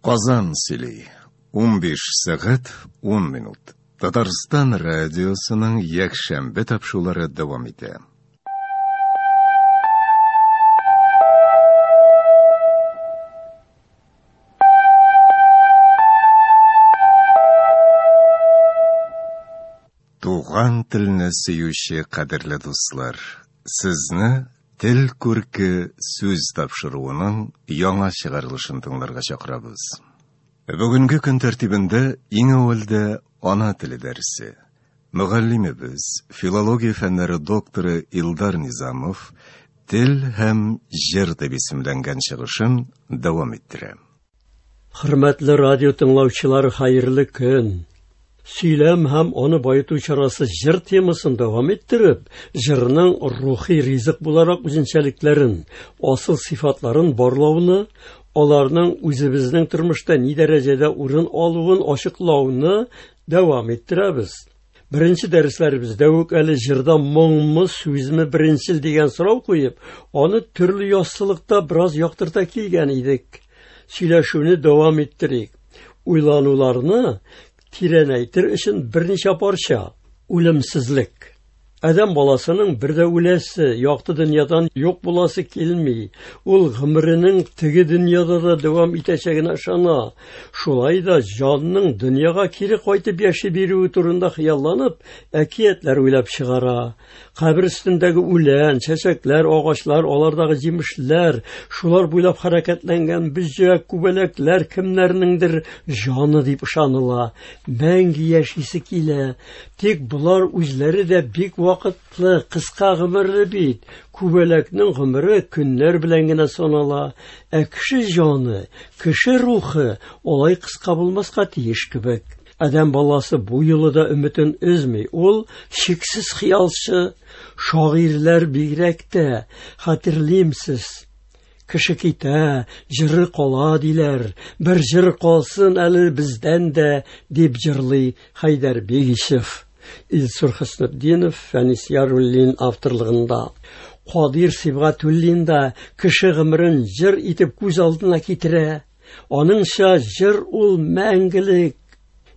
Казан сөйли. 15 сәгать 10 минут. Татарстан радиосының якшәмбе тапшырулары дәвам итә. Туган телне сөюче кадерле дуслар, сезне Тел күрке сүз тапшыруының яңа чыгарылышын тыңларга чакырабыз. Бүгенге көн тәртибендә иң әүвәлдә ана теле дәресе. Мөгаллимебез, филология фәннәре докторы Илдар Низамов Тел һәм җыр дип исемләнгән чыгышын дәвам иттерә. Хөрмәтле радио тыңлаучылар, хәерле көн! Сөйләм һәм аны баету чарасы җыр темасын дәвам иттереп, җырның рухи ризык буларак үзенчәлекләрен, асыл сыйфатларын барлауны, аларның үзебезнең тормышта ни дәрәҗәдә урын алуын ачыклауны дәвам иттерәбез. Беренче дәресләребездә үк әле җырда моңмы, сүзме беренчел дигән сорау куеп, аны төрле яссылыкта бераз яктырта килгән идек. Сөйләшүне дәвам иттерик. Уйлануларны тирәнәйтер өчен берничә парча. Үлемсезлек. Адәм баласының бер дә үләсе, якты дөньядан юк буласы килми. Ул гомеренең теге дөньяда да дәвам итәчәгенә ышана. Шулай да җанның дөньяга кире кайтып яши бирүе турында хыялланып, әкиятләр уйлап чыгара. Кабер өстендәге үлән, чәчәкләр, агачлар, алардагы җимешләр, шулар буйлап хәрәкәтләнгән бөҗәк, күбәләкләр кемнәрнеңдер җаны дип ышаныла. Мәңге яшисе килә. Тик болар үзләре дә бик вакытлы, кыска гомерле бит. Күбәләкнең гомере көннәр белән генә санала. Ә кеше җаны, кеше рухы алай кыска булмаска тиеш кебек. Адәм баласы бу юлы да өметен өзми. Ул шиксез хыялчы. Шагыйрьләр бигрәк тә, хәтерлимсез. Кеше китә, җыры кала диләр. Бер җыр калсын әле бездән дә, дип җырлый Хәйдәр Бигичев. Илсур Хөснетдинов, Фәнис Яруллин авторлыгында. Кадир Сибгатуллин да кеше гомерен җыр итеп күз алдына китерә. Аныңча җыр ул мәңгелек.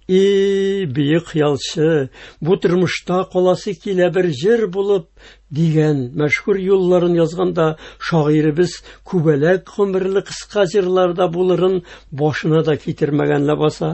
И, бөек хыялчы, бу тормышта каласы килә бер җыр булып, дигән мәшһүр юлларын язганда шагыйребез күбәләк гомерле кыска җырларда булырын башына да китермәгән ләбаса.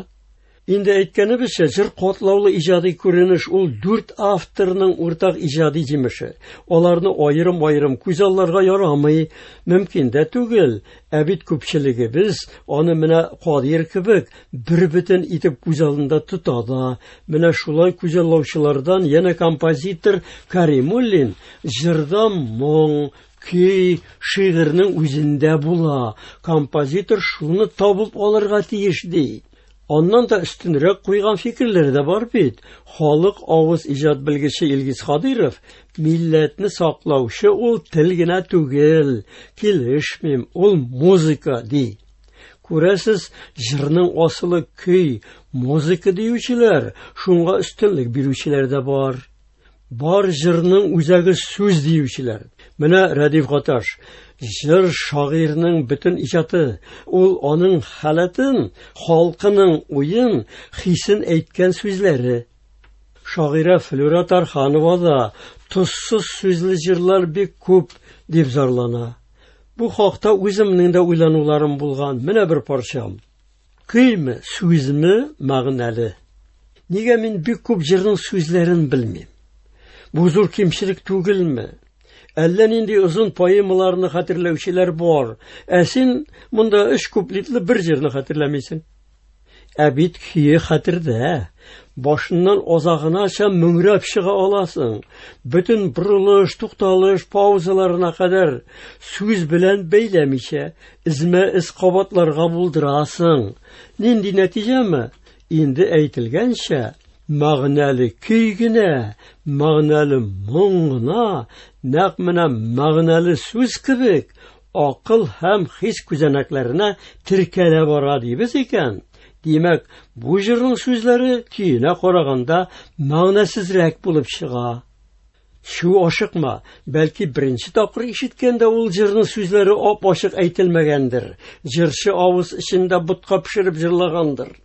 Инде әйткәнебезчә, җыр катлаулы иҗади күренеш, ул дүрт авторның уртак иҗади җимеше. Аларны аерым-аерым күзалларга ярамый, мөмкин дә түгел. Ә бит күпчелегебез аны менә Кадыйр кебек бер бөтен итеп күз алдында тота да. Менә шулай күзаллаучылардан янә композитор Каримуллин җырда моң, көй, шигырьнең үзендә була. Композитор шуны табып алырга тиеш, ди. Аннан да өстенрәк куйган фикерләр дә бар бит. Халык авыз иҗат белгече Илгиз Кадыйров милләтне саклаучы ул тел генә түгел, килешмим, ул музыка, ди. Күрәсез, җырның асылы көй, музыка диючеләр, шуңа өстенлек бирүчеләр дә бар. Бар җырның үзәге сүз диючеләр. Менә Рәдиф Гаташ. Җыр шагыйрьнең бөтен иҗаты. Ул аның халәтен, халкының уен, хисен әйткән сүзләре. Шагыйрә Флюра Тарханова да тозсыз сүзле җырлар бик күп дип зарлана. Бу хакта үземнең дә уйлануларым булган. Менә бер парчам. Көйме, сүзме мәгънәле? Нигә мин бик күп җырның сүзләрен белмим? Бу зур кимчелек түгелме? Әллә нинди озын поэмаларны хәтерләүчеләр бар. Ә син монда өч куплетлы бер җырны хәтерләмисең. Ә бит көе хәтердә. Башыннан азагынача мөңрәп чыга аласың. Бөтен борылыш, тукталыш, паузаларына кадәр сүз белән бәйләмичә, эзмә-эз кабатларга булдырасың. Нинди нәтиҗәме? Инде әйтелгәнчә, мәгънәле көй генә, мәгънәле моң гына, нәкъ менә мәгънәле сүз кебек, акыл һәм хис күзәнәкләренә теркәлә бара дибез икән, димәк, бу җырның сүзләре көенә караганда мәгънәсезрәк булып чыга. Чү, ашыкма, бәлки беренче тапкыр ишеткәндә ул җырның сүзләре ап-ачык әйтелмәгәндер, җырчы авыз эчендә ботка пешереп җырлагандыр.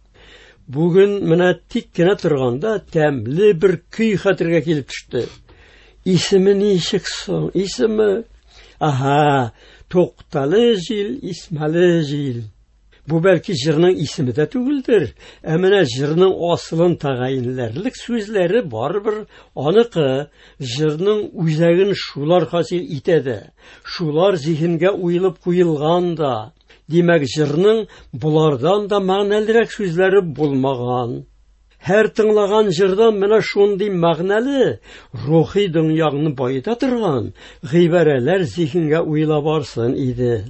Бүген менә тик кенә торганда тәмле бер көй хәтергә килеп төште. Исеме ничек соң? Исеме? Аһа, Туктале җил, исмәле җил. Бу бәлки җырның исеме дә түгелдер, ә менә җырның асылын тәгаенләрлек сүзләре барыбер аныкы, җырның үзәген шулар хасил итә дә, шулар зиһенгә уелып куелган да. Димәк, җырның болардан да мәгънәлерәк сүзләре булмаган. Һәр тыңлаган җырдан менә шундый мәгънәле, рухи дөньяңны баета торган гыйбарәләр зиһенгә уела барсын иде.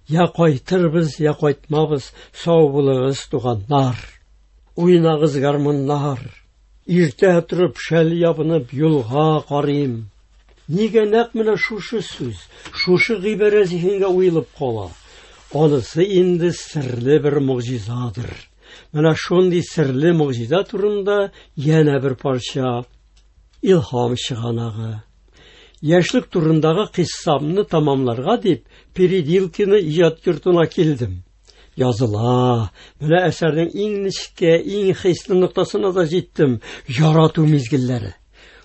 Я кайтырбыз, я кайтмабыз, сау булыгыз, туганнар. Уйнагыз гармуннар. Иртә торып, шәл ябынып, юлга карыйм. Нигә нәкъ менә шушы сүз, шушы гыйбарә зиһенгә уелып кала? Анысы инде серле бер могҗизадыр. Менә шундый серле могҗиза турында янә бер парча. Илһам чыганагы. Яшьлек турындагы кыйссамны тамамларга дип Переделкино иҗат йортына килдем. Языла. Менә әсәрнең иң нечкә, иң хисле ноктасына да җиттем. Ярату мизгелләре.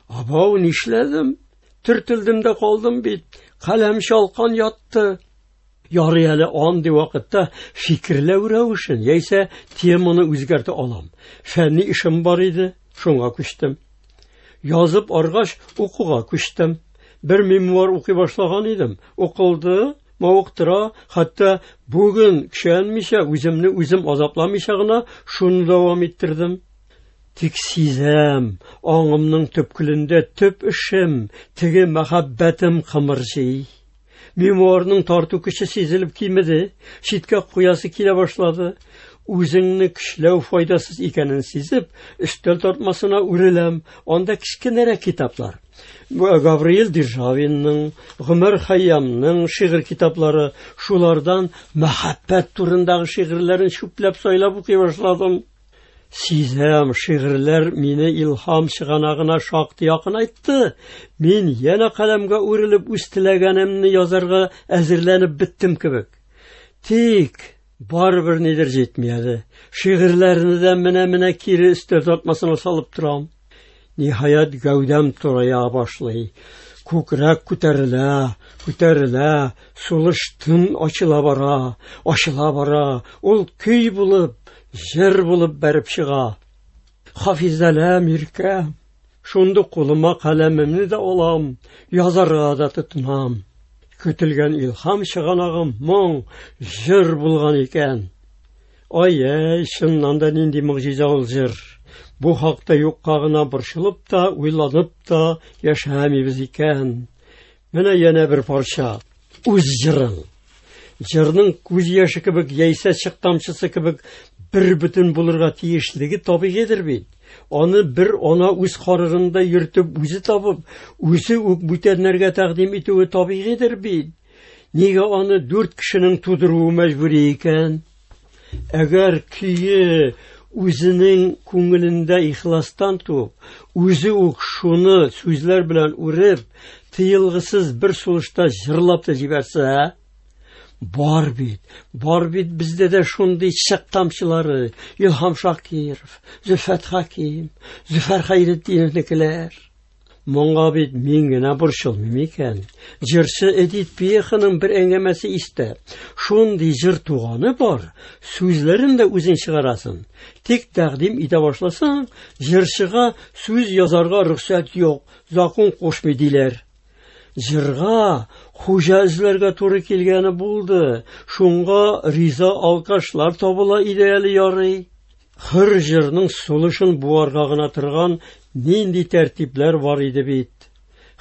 Абау, нишләдем? Төртелдем дә калдым бит. Каләм чалкан ятты. Ярый әле андый вакытта фикерләү рәвешен яисә теманы үзгәртә алам. Фәнни эшем бар иде, шуңа күчтем. Язып аргач, укуга күчтем. Бер мемуар укый башлаган идем. Укылды, мавыктыра, хәтта бүген көчәнмичә, үземне үзем азапламыйча гына шуны дәвам иттердем. Тик сизәм, аңымның төпкелендә төп эшем, теге мәхәббәтем кымырҗый. Мемуарның тарту көче сизелеп кимеде, читкә куясы килә башлады. Үзеңне көчләү файдасыз икәнен сизеп, өстәл тартмасына үреләм. Анда кечкенәрәк китаплар. Гавриил Державинның, Гомәр Хәйямның шигырь китаплары, шулардан мәхәббәт турындагы шигырьләрен чүпләп сайлап укый башладым. Сизәм, шигырьләр мине илһам чыганагына шактый якынайтты. Мин янә каләмгә үрелеп үз теләгәнемне язарга әзерләнеп беттем кебек. Тик барыбер нидер җитми әле. Шигырьләрне дә менә-менә кире өстәл тартмасына салып торам. Ниһаять, гәүдәм турая башлый. Күкрәк күтәрелә, күтәрелә, сулыш тын ачыла бара, ачыла бара. Ул көй булып, җыр булып бәреп чыга. Хафизәләм, иркәм. Шундук кулыма каләмемне дә алам, язарга да тотынам. Көтелгән илһам чыганагым моң, җыр булган икән. Ай-яй, чыннан да нинди могҗиза ул җыр. Бу хакта юкка гына борчылып та, уйланып та яшәмибез икән. Менә янә бер парча. Үз җырың. Җырның күз яше кебек яисә чык тамчысы кебек бер бөтен булырга тиешлеге табигыйдер бит. Аны бер ана үз карарында йөртеп, үзе табып, үзе үк бүтәннәргә тәкъдим итүе табигыйдер бит. Нигә аны дүрт кешенең тудыруы мәҗбүри икән? Әгәр көе үзенең күңелендә ихластан туып, үзе үк шуны сүзләр белән үреп, тыелгысыз бер сулышта җырлап та җибәрсә, бар бит, бар бит бездә дә шундый чык тамчылары, Илһам Шакиров, Зөлфәт Хәким, Зөфәр Хәйретдиновныкеләр. Моңа бит мин генә борчылмыйм икән. Җырчы Эдит Пьеханың бер әңгәмәсе истә. Шундый җыр туганы бар, сүзләрен дә үзең чыгарасың. Тик тәкъдим итә башласаң, җырчыга сүз язарга рөхсәт юк, закон кушмый диләр. Җырга хуҗа эзләргә туры килгәне булды. Шуңа риза алкашлар табыла иде әле ярый. Хөр җырның сулышын буарга гына торган нинди тәртипләр бар иде бит.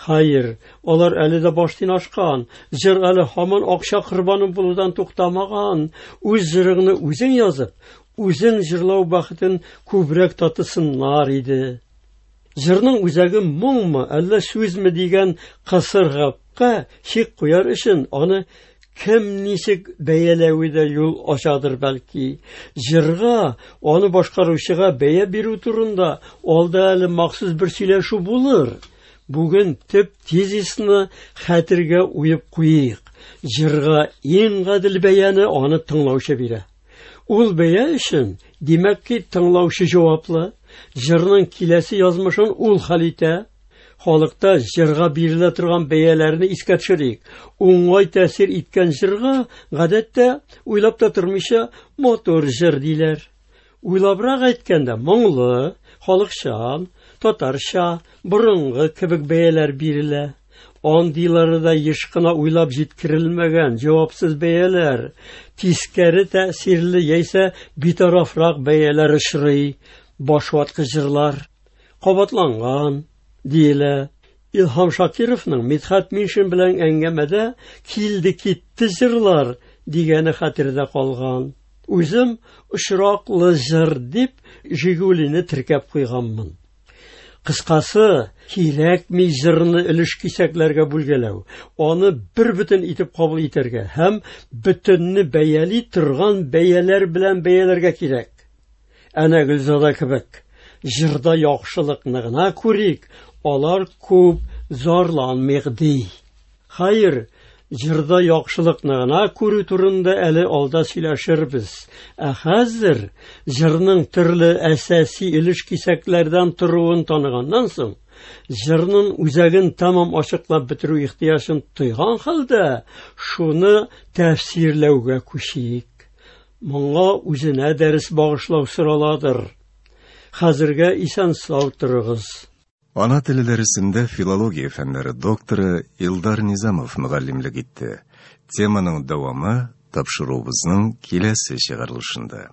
Хәер, алар әле дә баштин ашкан, җыр әле һаман акча корбаны булудан туктамаган. Үз җырыңны үзең язып, үзең җырлау бәхетен күбрәк татысыннар иде. Җырның үзәге моңмы, әллә сүзме дигән кысыр гапка чик куяр өчен аны кем ничек бәяләве дә юл ачадыр бәлки. Җырга, аны башкаручыга бәя бирү турында алда әле махсус бер сөйләшү булыр. Бүген төп тезисны хәтергә уеп куйыйк. Җырга иң гадел бәяне аны тыңлаучы бирә. Ул бәя өчен, димәк ки, тыңлаучы җаваплы. Җырның киләсе язмышын ул хәл итә. Халыкта җырга бирелә торган бәяләрне искә төшерик. Уңай тәэсир иткән җырга гадәттә уйлап та тормыйча матур җыр диләр. Уйлабрак әйткәндә, моңлы, халыкчан, татарча, борынгы кебек бәяләр бирелә. Андыйлары да еш кына уйлап җиткерелмәгән җавапсыз бәяләр, тискәре тәэсирле яисә битарафрак бәяләр очрый. Башваткыч җырлар кабатланган диелә. Илһам Шакировның Мидхәт Миншин белән әңгәмәдә килде китте җырлар дигәне хәтердә калган. Үзем очраклы җыр дип Жигулине теркәп куйганмын. Кыскасы, кирәкми җырны өлеш кисәкләргә бүлгәләү, аны бер бөтен итеп кабул итәргә һәм бөтенне бәяли торган бәяләр белән бәяләргә кирәк. Әнә Гөлзада кебек, җырда яхшылыкны гына күрик, алар күп зарланмыйк ди. Хәер, җырда яхшылыкны гына күрү турында әле алда сөйләшербез. Ә хәзер җырның төрле әсәси өлеш кисәкләрдән торуын таныганнан соң, җырның үзәген тәмам ачыклап бетерү ихтыяҗын тойган хәлдә, шуны тәфсирләүгә күчик. Моңа үзенә дәрес багышлау сораладыр. Хәзергә исән-сау торыгыз. Ана теле дәресендә филология фәннәре докторы Илдар Низамов мөгаллимлек итте. Теманың дәвамы тапшыруыбызның киләсе чыгарылышында.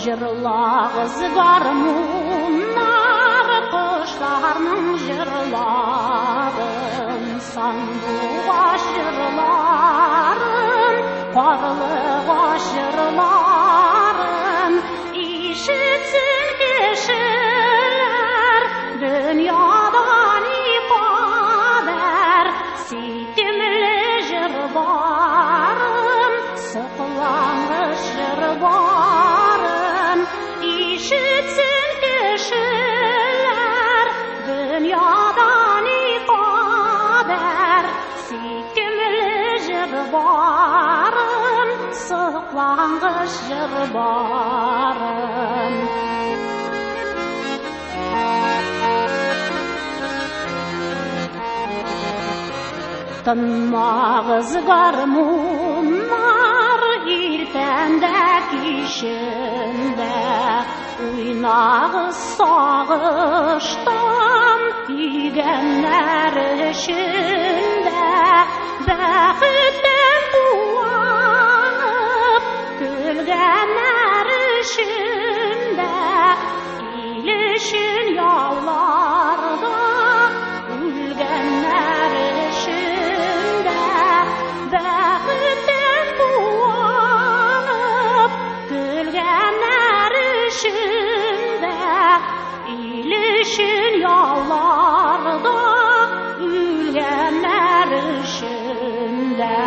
Җырлагыз гармуннар, кошларның җырларын, сандугач җырларын, карлыгач җырларын ишетсен кешеләр, дөньяда никадәр сөйкемле җыр барын, соклангыч җыр барын ишетсен кешеләр, дөньяда никадәр сөйкемле җыр барын, соклангыч җыр барын. Тынмагыз гармуннар, иртән дә кичен дә, уйнагыз сагыштан көйгәннәр өчен дә, бәхеттән куанып көлгәннәр өчен дә, ил өчен яуларда үлгәннәр өчен дә, бәхеттән куанып көлгәннәр өчен дә, ил өчен яуларда үлгәннәр өчен дә.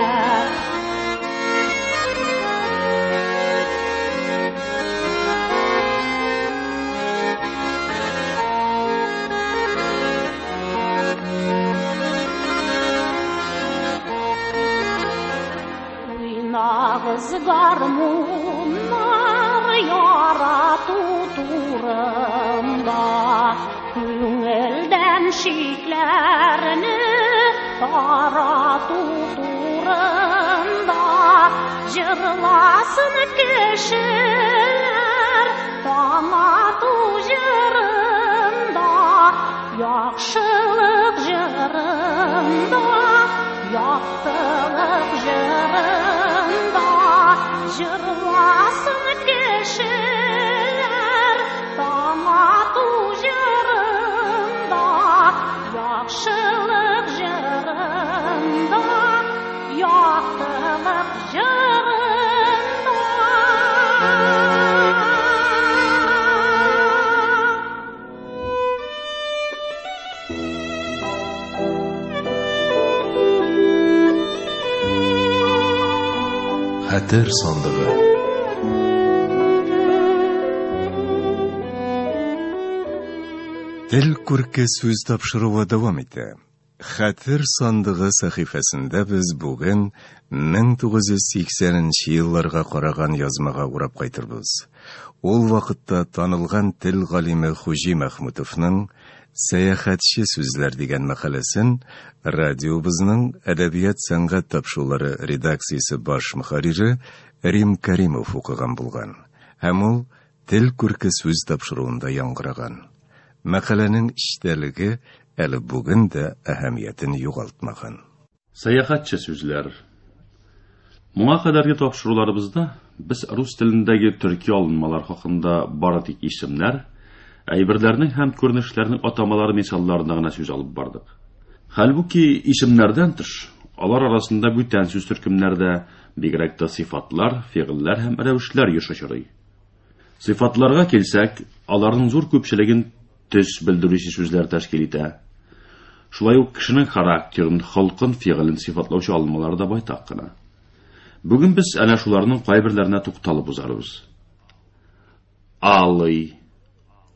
Уйнагыз гармуннар, ярату турында, күңелдән шикләрне тарату турында, җырласын кешеләр таң ату җырында, яхшылык җырында, яктылык җырында, җырласын кешеләр таң ату җырында, яхшылык җырында, яктылык җырында. Хәтер сандыгы. Тел күрке сүз тапшыруы дәвам итә. Хәтер сандыгы сәхифәсендә без бүген 1980 нче елларга караган язмага урап кайтырбыз. Ул вакытта танылган тел галиме Хуҗи Мәхмүтовның Сәяхәтче сүзләр дигән мәкаләсен радиобызның әдәбият-сәнгать тапшырулары редакциясе баш мөхәррире Рим Кәримов укыган булган һәм ул Тел күрке сүз тапшыруында яңгыраган. Мәкаләнең эчтәлеге әле бүген дә әһәмиятен югалтмаган. Сәяхәтче сүзләр. Моңа кадәрге тапшыруларыбызда без рус телендәге төрки алынмалар хакында бары тик исемнәр, әйберләрнең һәм күренешләрнең атамалары мисалларында гына сүз алып бардык. Хәлбуки исемнәрдән тыш, алар арасында бүтән сүз төркемнәре дә, бигрәк тә сыйфатлар, фигыльләр һәм рәвешләр еш очрый. Сыйфатларга килсәк, аларның зур күпчелеген төс белдерүче сүзләр тәшкил итә. Шулай ук кешенең характерын, холкын, фигылен сыйфатлаучы алынмалар да байтак кына. Бүген без әнә шуларның кайберләренә тукталып узарбыз. Алый,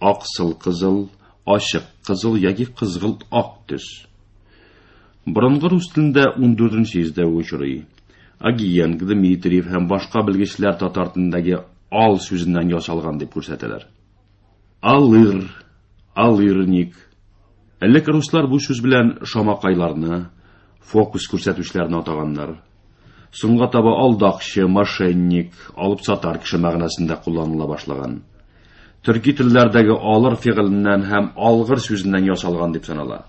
аксыл кызыл, ачык кызыл яки кызгылт ак төс. Борынгы рус телендә 14 йөздә үк очрый. Агиенко, Дмитриев һәм башка белгечләр татар телендәге ал сүзеннән ясалган дип күрсәтәләр. Алыр, алырник. Элек руслар бу сүз белән шамакайларны, фокус күрсәтүчеләрне атаганнар. Соңга таба алдакчы, мошенник, алып сатар кеше мәгънәсендә кулланыла башлаган. Төрки телләрдәге алыр фигыленнән һәм алгыр сүзеннән ясалган дип санала.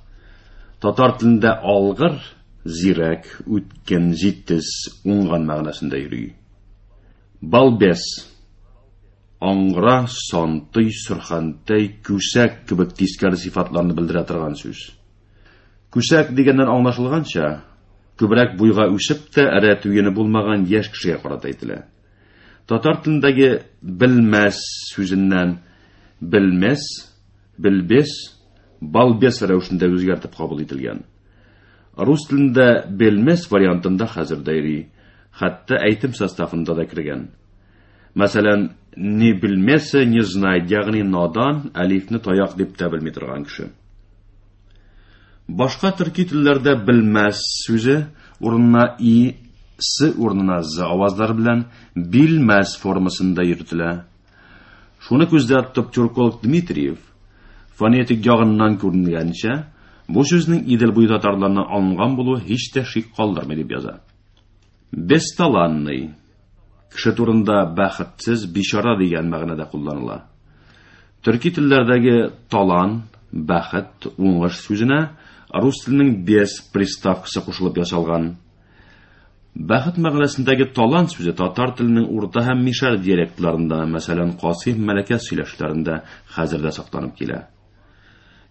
Татар телендә алгыр зирәк, үткен, җитез, уңган мәгънәсендә йөри. Балбес аңгыра, сантый, сөрхәнтәй, күсәк кебек тискәре сыйфатларны белдерә торган сүз. Күсәк дигәннән аңлашылганча, күбрәк буйга үсеп тә рәт уены булмаган яшь кешегә карата әйтелә. Татар телендәге белмәс сүзеннән белмәс, белбес, балбес рәвешендә үзгәртеп кабул ителгән. Рус телендә белмәс вариантында хәзер дә йөри, хәтта әйтем составында да кергән. Мәсәлән, не белмәсә, не знает, ягъни надан, әлифне таяк дип тә белми торган кеше. Башка төрки телләрдә белмәс сүзе урынына и, с урынына з авазлары белән билмәс формасында йөртелә. Шуны күздә тотып тюрколог Дмитриев фонетик ягыннан күренгәнчә, бу сүзнең Идел буе татарларыннан алынган булуы һич тә шик калдырмый дип яза. Бесталанный кеше турында бәхетсез, бичара дигән мәгънәдә кулланыла. Төрки телләрдәге талан, бәхет, уңыш сүзенә рус теленең бес приставкасы кушылып ясалган. Бәхет мәгънәсендәге талан сүзе татар теленең урта һәм мишәр диалектларында, мәсәлән, Касыйм Мәләкәс сөйләшләрендә хәзер дә сакланып килә.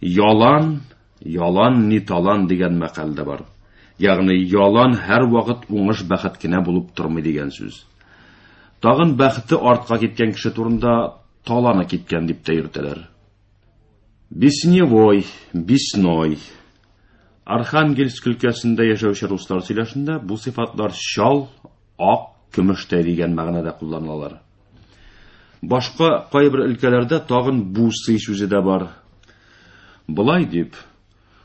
Ялан, ялан ни талан дигән мәкаль дә бар. Ягъни ялан һәрвакыт уңыш бәхет кенә булып тормый дигән сүз. Тагын бәхете артка киткән кеше турында таланы киткән дип тә йөртәләр. Бесневой, бесной. Архангельск өлкәсендә яшәүче руслар сөйләшендә бу сыйфатлар чал, ак, көмештәй дигән мәгънәдә кулланылалар. Башка кайбер өлкәләрдә тагын бусы сүзе дә бар. Болай дип,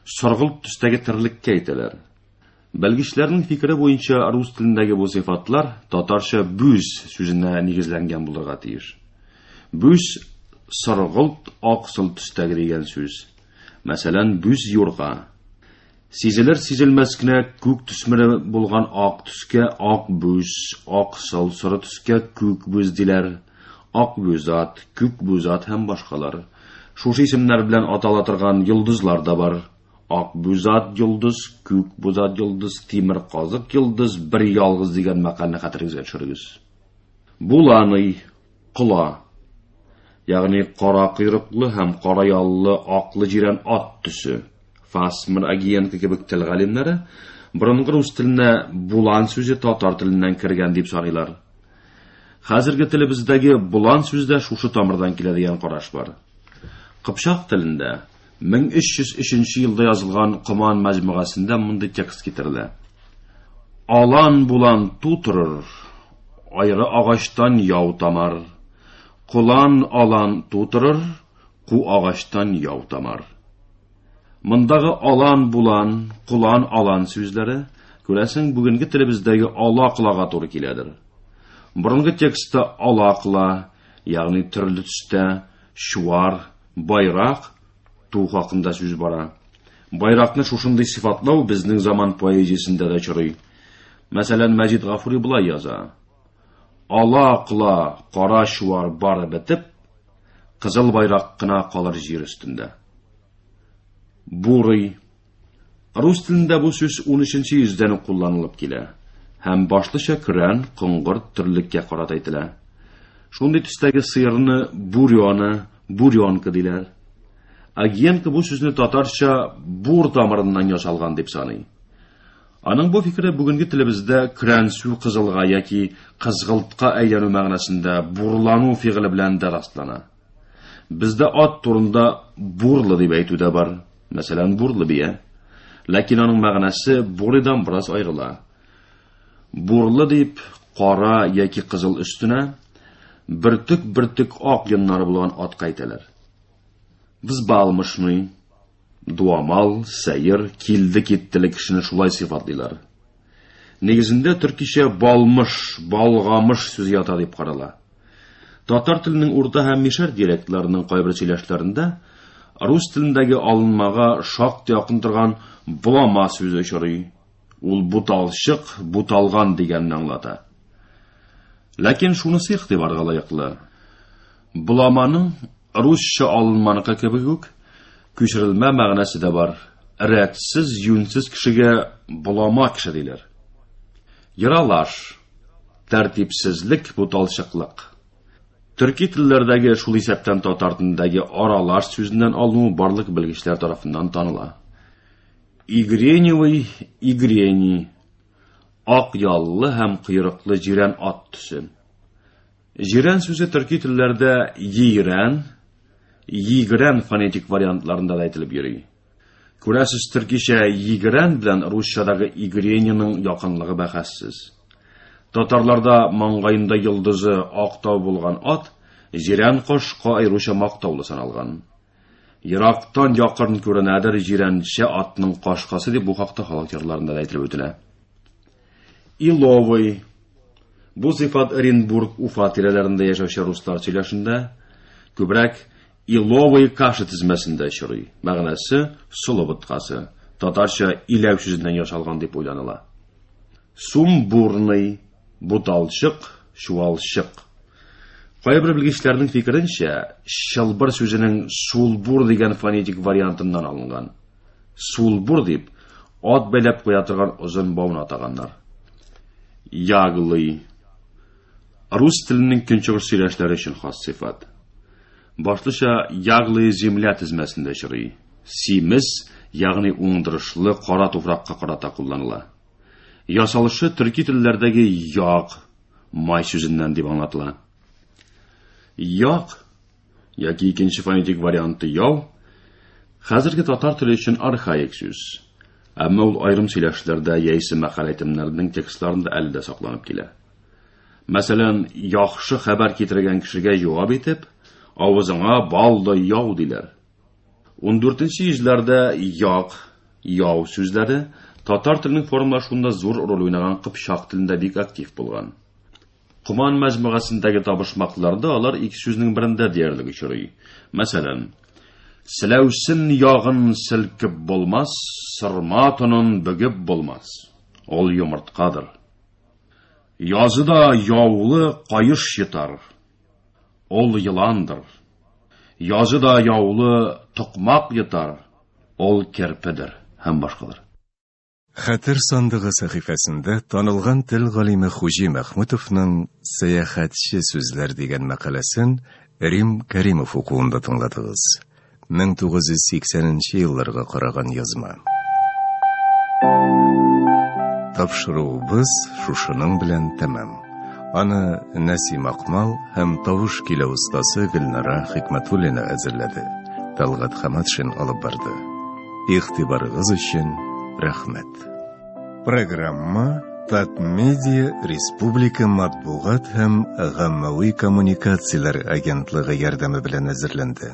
соргылт төстәге терлеккә әйтәләр. Белгечләрнең фикере буенча рус телендәге бу сыйфатлар татарча бүз сүзенә нигезләнгән булырга тиеш. Бүз соргылт аксыл төстәге дигән сүз. Мәсәлән, бүз юрга. Сизелер сизелмәс кенә күк төсмере булган ак төскә ак бүз, аксыл соры төскә күк бүз диләр. Ак бүз ат, күк бүз ат һәм башкалар. Шушы исемнәр белән атала торган йолдызлар да бар. Ак бүз ат йолдыз, күк бүз ат йолдыз, тимер казык йолдыз, бер ялгыз дигән мәкальне хәтерегезгә төшерегез. Буланый, кола, ягъни кара койрыклы һәм кара яллы аклы җирән ат төсе. Фасмер Агиенко кебек тел галимнәре борынгы рус теленә булан сүзе татар теленнән кергән дип саныйлар. Хәзерге телебездәге булан сүзе дә шушы тамырдан килә дигән караш бар. Кыпчак телендә 1303 елда язылган Коман мәҗмугасында мондый текст китерелә. Алан булан тутырыр, Айры агачтан яу тамар. Колан алан тутырыр, ку агачтан яу тамар. Мондагы алан булан, колан алан сүзләре, күрәсең, бүгенге телебездәге ала-кылага туры киләдер. Борынгы текстта ала-кыла, ягъни төрле төстә, чуар, байрак, ту хакында сүз бара. Байракны шушындый сыйфатлау безнең заман поэзиясендә дә очрый. Мәсәлән, Мәҗит Гафури болай яза: Ала-кыла, кара чуар бары бетеп, кызыл байрак кына калыр җир өстендә. Бурый. Рус телендә бу сүз 13 йөздән үк кулланылып килә һәм башлыча көрән, коңгырт терлеккә карата әйтелә. Шундый төстәге сыерны бурёна, бурёнка диләр. Агиенко бу сүзне татарча бур тамырыннан ясалган дип саный. Аның бу фикере бүгенге телебездә көрәнсү кызылга яки кызгылтка әйләнү мәгънәсендә бурлану фигыле белән дә раслана. Бездә ат турында бурлы дип әйтү дә бар. Мәсәлән, бурлы бия. Ләкин аның мәгънәсе бурыйдан бераз аерыла. Бурлы дип кара яки кызыл өстенә бөртек-бөртек ак йоннары булган атка әйтәләр. Взбалмошный, дуамал, сәер, килде-киттеле кешене шулай сыйфатлыйлар. Нигезендә төркичә балмыш, балгамыш сүзе ята дип карала. Татар теленең урта һәм мишәр диалектларының кайбер сөйләшләрендә рус телендәге алынмага шактый якын торган булама сүзе очрый. Ул буталчык, буталган дигәнне аңлата. Ләкин шунысы игътибарга лаеклы. Буламаның русча алынманыкы кебек үк күчерелмә мәгънәсе дә бар. Рәтсез, юньсез кешегә булама кеше диләр. Яралаш, тәртипсезлек, буталчыклык. Төрки телләрдәге, шул исәптән татар телендәге аралаш сүзеннән алыну барлык белгечләр тарафыннан таныла. Игреневый, игрени, ак яллы һәм койрыклы җирән ат төсе. Җирән сүзе төрки телләрдә йирән, йигрән фонетик вариантларында да әйтелеп йөри. Күрәсез, төркичә йигрән белән русчадагы игрениның якынлыгы бәхәссез. Татарларда маңгаенда йолдызы ак тау булган ат җирән кошка аеруча мактаулы саналган. Ерактан якын күренәдер җирәнчә атның кашкасы дип бу хакта халык җырларында да әйтелеп үтелә. Иловый. Бу сыйфат Оренбург, Уфа тирәләрендә яшәүче руслар сөйләшендә күбрәк иловый каша тезмәсендә очрый. Мәгънәсе солы боткасы. Татарча иләү сүзеннән ясалган дип уйланыла. Сумбурный, буталчык, чуалчык. Кайбер белгечләрнең фикеренчә, чылбыр сүзенең сулбур дигән фонетик вариантыннан алынган. Сулбур дип ат бәйләп куя торган озын бауны атаганнар. Яглый. Рус теленең көнчыгыш сөйләшләре өчен хас сыйфат. Башлыча яглый земля тезмәсендә очрый. Симез, ягъни уңдырышлы кара туфракка карата кулланыла. Ясалышы төрки телләрдәге яг, май сүзеннән дип аңлатыла. Як яки икенче фонетик варианты яу хәзерге татар теле өчен архаик сүз. Әмма ул аерым сөйләшләрдә яисә мәкаль әйтемнәрнең текстларында әле дә сакланып килә. Мәсәлән, яхшы хәбәр китергән кешегә җавап итеп, авызыңа бал да яу диләр. 14 йөзләрдә як, яу сүзләре татар теленең формалашуында зур роль уйнаган кыпчак телендә бик актив булган. Коман мәҗмугасындагы табышмакларда алар ике сүзнең берендә диярлек очрый. Мәсәлән, Селәүсен ягын селкеп булмас, сырма тонын бөгеп булмас. Ул йомырткадыр. Язы да яулы каеш йотар. Ул еландыр. Язы да яулы токмак йотар. Ул керпедер һәм башкалар. Хәтер сандыгы сәхифәсендә танылган тел галиме Хуҗи Мәхмүтовның Сәяхәтче сүзләр дигән мәкаләсен Рим Кәримов укуында тыңладыгыз. 1980 елларга караган язма. Тапшыруыбыз шушының белән тәмам. Аны Нәсим Акмал һәм тавыш көйләү остасы Гөлнара Хикмәтуллина әзерләде. Талгат Хаматшин алып барды. Игътибарыгыз өчен рәхмәт. Программа Татмедиа республика матбугат һәм гаммәви коммуникацияләр агентлыгы ярдәме белән әзерләнде.